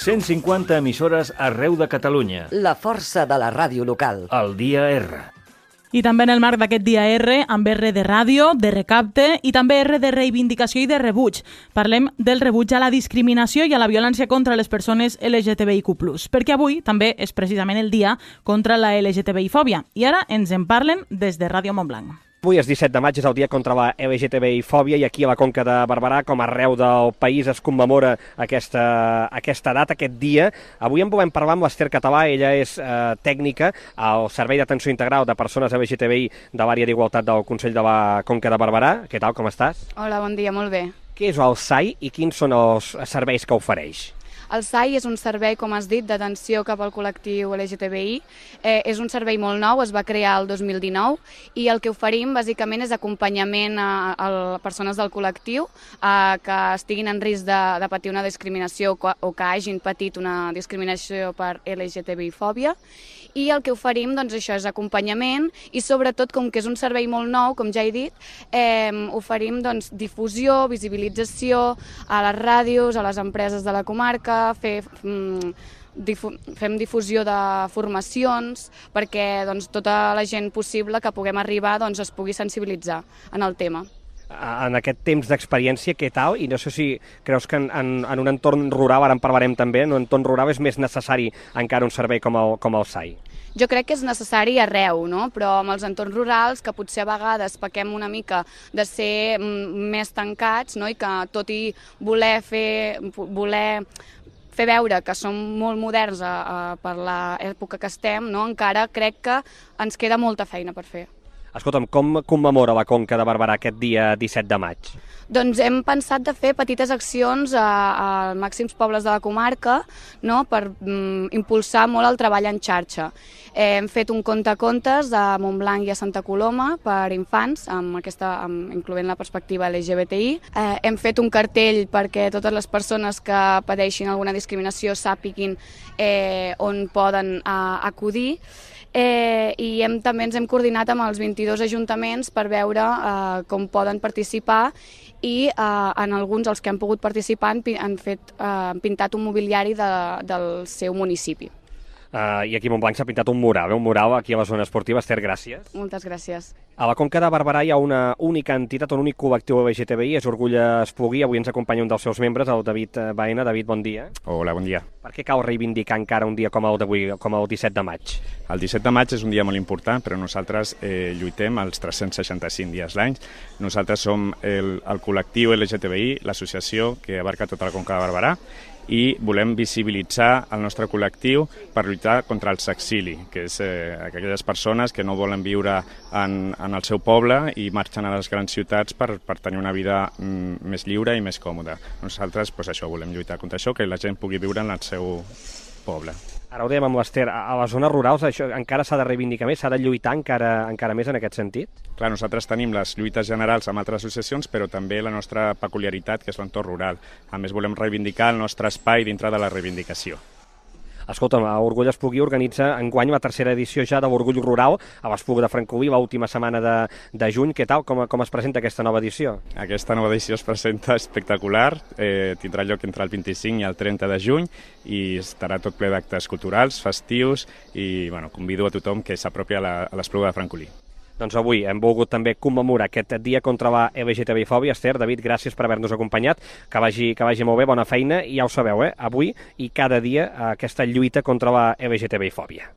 150 emissores arreu de Catalunya. La força de la ràdio local. El Dia R. I també en el marc d'aquest dia R, amb R de ràdio, de recapte i també R de reivindicació i de rebuig. Parlem del rebuig a la discriminació i a la violència contra les persones LGTBIQ+, perquè avui també és precisament el dia contra la LGTBI-fòbia. I ara ens en parlen des de Ràdio Montblanc. Avui és 17 de maig, és el dia contra la LGTBI-fòbia i aquí a la Conca de Barberà, com arreu del país, es commemora aquesta data, aquest dia. Avui en volem parlar amb l'Ester Català, ella és tècnica al Servei d'Atenció Integral de Persones LGTBI de l'Àrea d'Igualtat del Consell de la Conca de Barberà. Què tal, com estàs? Hola, bon dia, molt bé. Què és el SAI i quins són els serveis que ofereix? El SAI és un servei, com has dit, d'atenció cap al col·lectiu LGTBI. És un servei molt nou, es va crear el 2019 i el que oferim bàsicament és acompanyament a persones del col·lectiu que estiguin en risc de patir una discriminació o que hagin patit una discriminació per LGTBI-fòbia. I el que oferim, doncs, això és acompanyament i sobretot, com que és un servei molt nou, com ja he dit, oferim doncs, difusió, visibilització a les ràdios, a les empreses de la comarca, fem difusió de formacions perquè doncs, tota la gent possible que puguem arribar doncs, es pugui sensibilitzar en el tema. En aquest temps d'experiència, què tal? I no sé si creus que en un entorn rural, ara en parlarem també, en un entorn rural és més necessari encara un servei com el SAI? Jo crec que és necessari arreu, no? Però amb els entorns rurals, que potser a vegades pequem una mica de ser més tancats, no? I que tot i voler fer veure que som molt moderns per l'època que estem, no? Encara crec que ens queda molta feina per fer. Escolta'm, com commemora la Conca de Barberà aquest dia 17 de maig? Doncs hem pensat de fer petites accions als màxims pobles de la comarca, no? Per impulsar molt el treball en xarxa. Hem fet un conte-contes a Montblanc i a Santa Coloma per infants, incloent la perspectiva LGBTI. Hem fet un cartell perquè totes les persones que pateixin alguna discriminació sàpiguin on poden acudir. I també ens hem coordinat amb els 22 ajuntaments per veure com poden participar i en alguns, els que han pogut participar, han pintat un mobiliari del seu municipi. I aquí a Montblanc s'ha pintat un mural aquí a la zona esportiva. Ester, gràcies. Moltes gràcies. A la Conca de Barberà hi ha una única entitat, un únic col·lectiu LGTBI, és Orgull Espluguí. Avui ens acompanya un dels seus membres, el David Baena. David, bon dia. Hola, bon dia. Per què cal reivindicar encara un dia com el d'avui, com el 17 de maig? El 17 de maig és un dia molt important, però nosaltres lluitem els 365 dies l'any. Nosaltres som el col·lectiu LGTBI, l'associació que abarca tota la Conca de Barberà, i volem visibilitzar el nostre col·lectiu per lluitar contra el sexili, que és aquelles persones que no volen viure en el seu poble i marxen a les grans ciutats per tenir una vida més lliure i més còmoda. Nosaltres volem lluitar contra això, que la gent pugui viure en el seu poble. Ara ho dèiem amb l'Ester, a les zones rurals això encara s'ha de reivindicar més, s'ha de lluitar encara més en aquest sentit? Clar, nosaltres tenim les lluites generals amb altres associacions, però també la nostra peculiaritat, que és l'entorn rural. A més, volem reivindicar el nostre espai dintre de la reivindicació. Escolta'm, Orgull Espluguí organitza enguany la tercera edició ja de l'Orgull Rural a l'Espluga de Francolí, l'última setmana de juny. Què tal? Com es presenta aquesta nova edició? Aquesta nova edició es presenta espectacular, tindrà lloc entre el 25 i el 30 de juny i estarà tot ple d'actes culturals, festius i convido a tothom que s'apropi a l'Espluga de Francolí. Doncs avui hem volgut també commemorar aquest dia contra la LGTBI-fòbia. Ester, David, gràcies per haver-nos acompanyat, que vagi molt bé, bona feina, i ja ho sabeu, avui i cada dia aquesta lluita contra la LGTBI-fòbia.